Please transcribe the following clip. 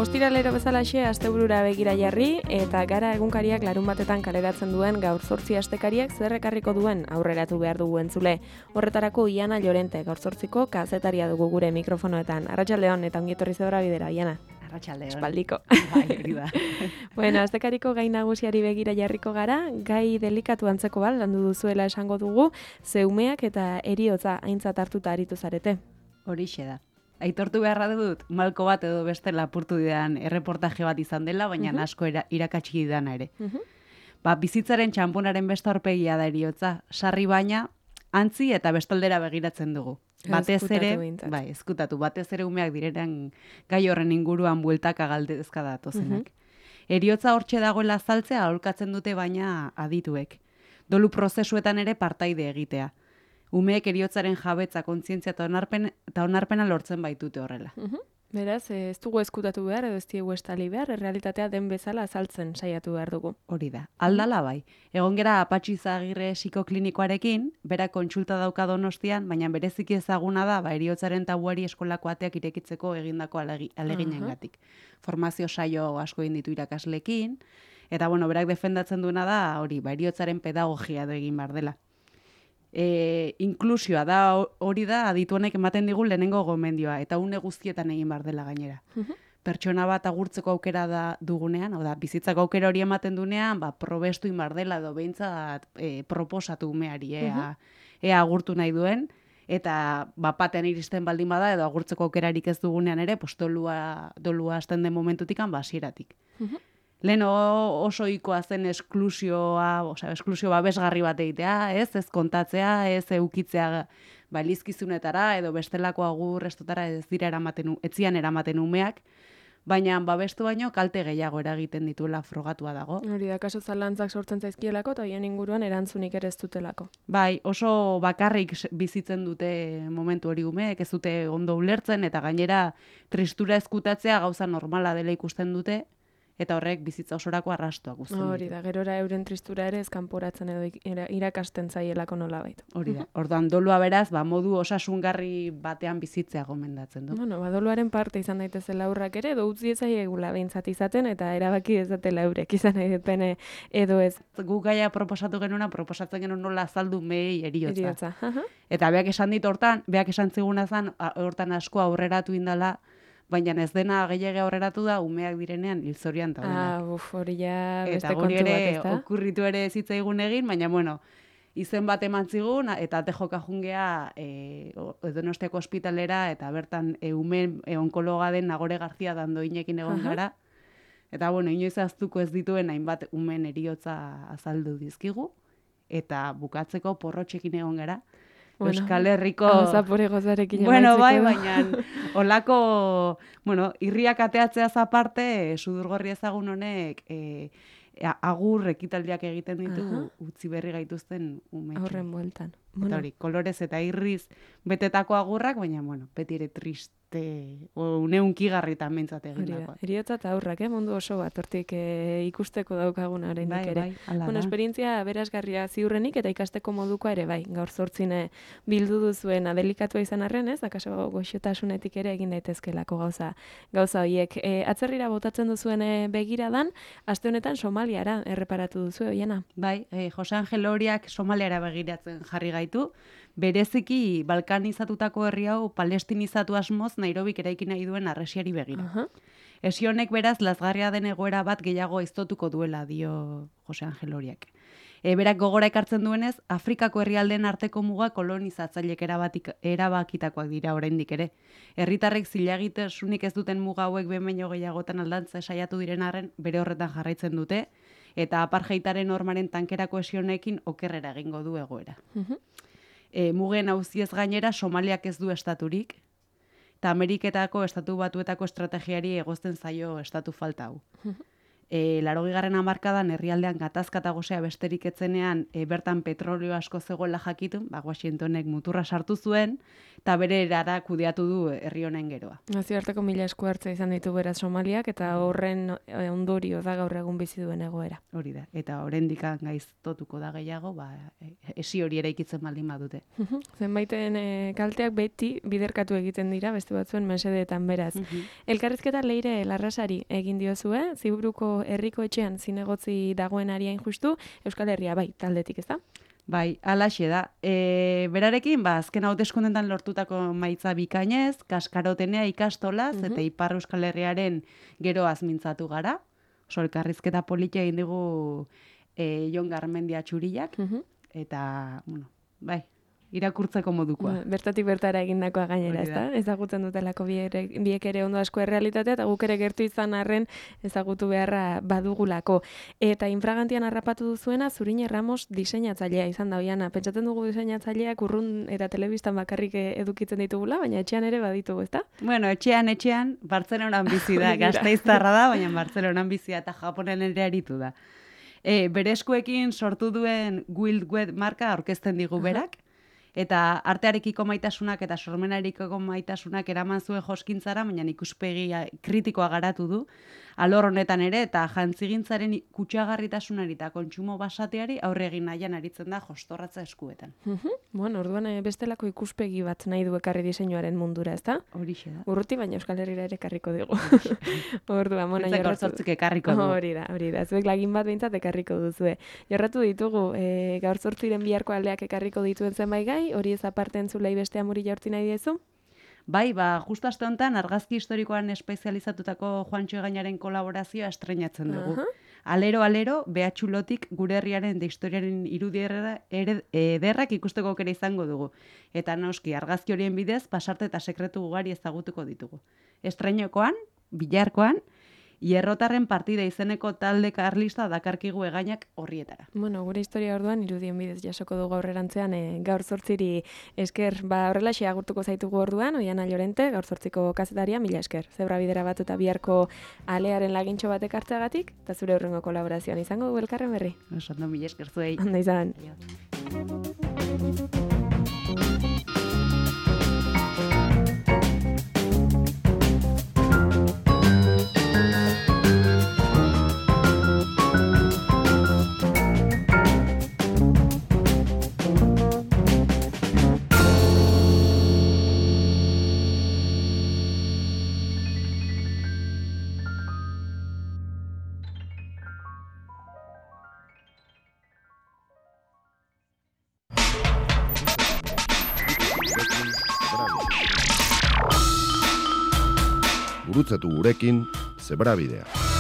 Ostiralero bezalaxe asteburura begira jarri eta gara egunkariak larun batetan kaleratzen duen gaur 8 astekariak zer ekarriko duen aurreratu behar dugu entzule. Horretarako Iana Llorente gaur 8ko kazetaria dugu gure mikrofonoetan. Arratsaldeon eta ongi etorri zebra bidera, Iana. Arratsaldeon. Espaldiko. Bai, hori da. Bueno, astekariko gai nagusiari begira jarriko gara, gai delikatu antzeko bat landu duzuela esango dugu, zeumeak eta heriotza aintzat hartuta aritu zarete. Horixe da. Aitortu beharra dut, malko bat edo beste lapurtu didan erreportaje bat izan dela, baina asko irakatsi didana ere. Bizitzaren txamponaren beste aurpegia da heriotza, sarri baina, antzi eta bestaldera begiratzen dugu. Batez ere, ezkutatu, batez ere umeak direnean gai horren inguruan bueltaka galdezka datozenak. Heriotza hortxe dagoela azaltzea aholkatzen dute baina adituek. Dolu prozesuetan ere partaide egitea. Umeek heriotzaren jabetza, kontzientzia eta onarpena lortzen baitute horrela. Beraz, ez dugu ezkutatu behar, edo ez diegu estali behar, errealitatea den bezala azaltzen saiatu behar dugu. Hori da, aldala bai. Egon gera Patxi Izagirre psikoklinikoarekin, bera kontsulta dauka Donostian, baina bereziki ezaguna da, heriotzaren tabuari eskolako ateak irekitzeko egindako aleginengatik. Formazio saio asko egin ditu irakasleekin, eta berak defendatzen duena da, hori, heriotzaren pedagogia edo egin behar dela. Inklusioa da, hori da, aditu honek ematen digu lehenengo gomendioa, eta une guztietan egin behar dela gainera. Pertsona bat agurtzeko aukera da dugunean, bizitzako aukera hori ematen dunean, probestu egin behar dela edo behintzat proposatu umeari, ea agurtu nahi duen, eta bapatean iristen baldin bada, edo agurtzeko aukerarik ez dugunean ere, dolua hasten den momentutik hasieratik. Lehen oso ohikoa zen esklusio babesgarri bat egitea, ez kontatzea, ez eukitzea elizkizunetara edo bestelako agur estotara etzian eramaten umeak, baina babestu baino kalte gehiago eragiten dituela frogatua dago. Hori da, kaso zalantzak sortzen zaizkielako eta hien inguruan erantzunik ere ez dutelako. Bai, oso bakarrik bizitzen dute momentu hori umeek, ez dute ondo ulertzen eta gainera tristura ezkutatzea gauza normala dela ikusten dute, eta horrek bizitza osorako arrastoak uzten ditu. Hori da, gerora euren tristura ere ezkanporatzen edo irakasten zaielako nolabait. Hori da, orduan dolua beraz, modu osasungarri batean bizitzea gomendatzen du. Doluaren parte izan daitezela aurrak ere, edo utzi ezaiegula behintzat izaten, eta erabaki ezatela eurek izan nahi dutene edo ez. Gu gaia proposatzen genuen nola azaldu mehei heriotza. Eta beak esan ziguna zen, hortan asko aurreratu indala, baina ez dena gehiago aurreratu da, umeak direnean hilzorian daudenak. Hori ja beste kontu bat, ez da? Eta hori okurritu ere zitzaigun egin, baina, izen bat eman zigun, eta tejoka jungea Donostiako ospitalera, eta bertan umeen onkologa den Nagore Garzia dandoinekin egon gara. Eta, inoiz aztuko ez dituen hainbat umeen heriotza azaldu dizkigu, eta bukatzeko porrotxekin egon gara. Euskal Herriko... Zapore gozarekin baina olako, irriak ateatzeaz aparte, sudurgorri ezagun honek agur ekitaldiak egiten ditu utzi berri gaituzten umetxo. Horren bueltan. Eta hori, kolorez eta irriz betetako agurrak, baina, beti ere triste, neunkigarritan mentzat egindakoa. Heriotza eta aurrak, mundu oso bat, hortik ikusteko daukagun oraindik ere. Esperientzia berazgarria ziurrenik eta ikasteko modukoa ere, gaur 8 bildu duzuen adelikatua izan arren, ez? Akaso goxotasunetik ere egin daitezkelako gauza horiek. Atzerrira botatzen duzuen begiradan, aste honetan Somaliara erreparatu duzu, Oiana? Bai, Jose Angel Oriak Somaliara begiratzen jarri gaitu, bereziki balkanizatutako herri hau palestinizatu asmoz Nairobik eraiki nahi duen harresiari begira. Esi honek beraz lazgarria den egoera bat gehiago aiztotuko duela, dio Jose Angel Oriak. Berak gogora ekartzen duenez, Afrikako herrialdeen arteko muga kolonizatzailek erabakitakoak dira oraindik ere. Herritarrek zilagitasunik ez duten muga hauek behin baino gehiagotan aldatze saiatu diren arren bere horretan jarraitzen dute, eta apartheidaren normaren tankerako esi honekin okerrera egingo du egoera. Mugen auziez gainera Somaliak ez du estaturik, eta Ameriketako estatu batuetako estrategiari egozten zaio estatu falta hau. 80. hamarkadan herrialdean gatazkata gosea besterik etzenean bertan petrolio asko zegoela jakitun, Washingtonek muturra sartu zuen, eta bere erara kudeatu du herri honen geroa. Nazioarteko mila esku hartza izan ditu beraz Somaliak, eta horren ondorio da gaur egun bizi duen egoera. Hori da, eta oraindik gaiztotuko da gehiago, esi hori eraikitzen baldin badute. Zenbaiten kalteak beti biderkatu egiten dira, beste batzuen mesedeetan beraz. Elkarrizketa Leire Larrasari egin diozue, Ziburuko herriko etxean zinegotzi dagoen ariain justu, Euskal Herria bai, taldetik, ez da? Bai, alaxe da. Berarekin, azken hauteskundetan lortutako maitza bikainez, kaskarotenea ikastolaz, eta Ipar Euskal Herriaren geroaz mintzatu gara. Oso elkarrizketa politia egin digu Jon Garmendia Txuriak, eta, bai, irakurtzeko modukoa. Bertatik bertara egindakoa gainera, ezta? Ezagutzen dutelako biek ere ondo asko errealitatea, eta guk ere gertu izan arren ezagutu beharra badugulako. Eta infragantian harrapatu duzuena, Zurine Ramos diseinatzailea izan da, Oiana. Pentsatzen dugu diseinatzaileak urrun eta telebistan bakarrik edukitzen ditugula, baina etxean ere baditugu, ezta? Bueno, etxean, Bartzelonan bizi da, Gasteiztarra da, baina Bartzelonan bizi da, eta Japonen ere aritu da. Bere eskuekin sortu duen Wild Wet marka aurkezten digu berak, eta artearekiko maitasunak eta sormenarekiko maitasunak eraman zuen joskintzara, baina ikuspegi kritikoa garatu du, alor honetan ere, eta jantzigintzaren kutsagarritasunari eta kontsumo basateari aurre egin nahian aritzen da jostorratza eskuetan. Bueno, orduan bestelako ikuspegi bat nahi du ekarri diseinuaren mundura, ezta? Horixe da. Urruti, baina Euskal Herrira ere ekarriko dugu. Orduan, bueno, jorratzik ekarriko dugu. Hori da. Zuek lagin bat behintzat ekarriko duzue. Jorratu ditugu, gaur 8 biharko aldeak ekarriko dituen zenbait gai, hori ez aparte entzulei beste amuri jaurti nahi diezu? Bai, justu aste honetan argazki historikoan espezializatutako Juantxo Egainaren kolaborazioa estreinatzen dugu. Alero, behatxulotik gure herriaren de historiaren irudi ederrak ikusteko aukera izango dugu. Eta noski, argazki horien bidez, pasarte eta sekretu ugari ezagutuko ditugu. Estreinokoan, Bilarkoan, Hierrotarren partida izeneko talde karlista dakarkigu Egainak horrietara. Bueno, gure historia orduan irudien bidez jasoko dugu aurrerantzean, gaur 8 esker, horrelaxe agurtuko zaitugu orduan, Oiana Llorente, gaur 8ko kazetaria, mila esker. Zebra bidera bat eta biharko alearen lagintxo batek hartzeagatik, eta zure hurrengo kolaborazioan izango dugu elkarren berri. Ondo, mila esker zuei. Ondo izan. Gurutzatu gurekin Zebrabidea.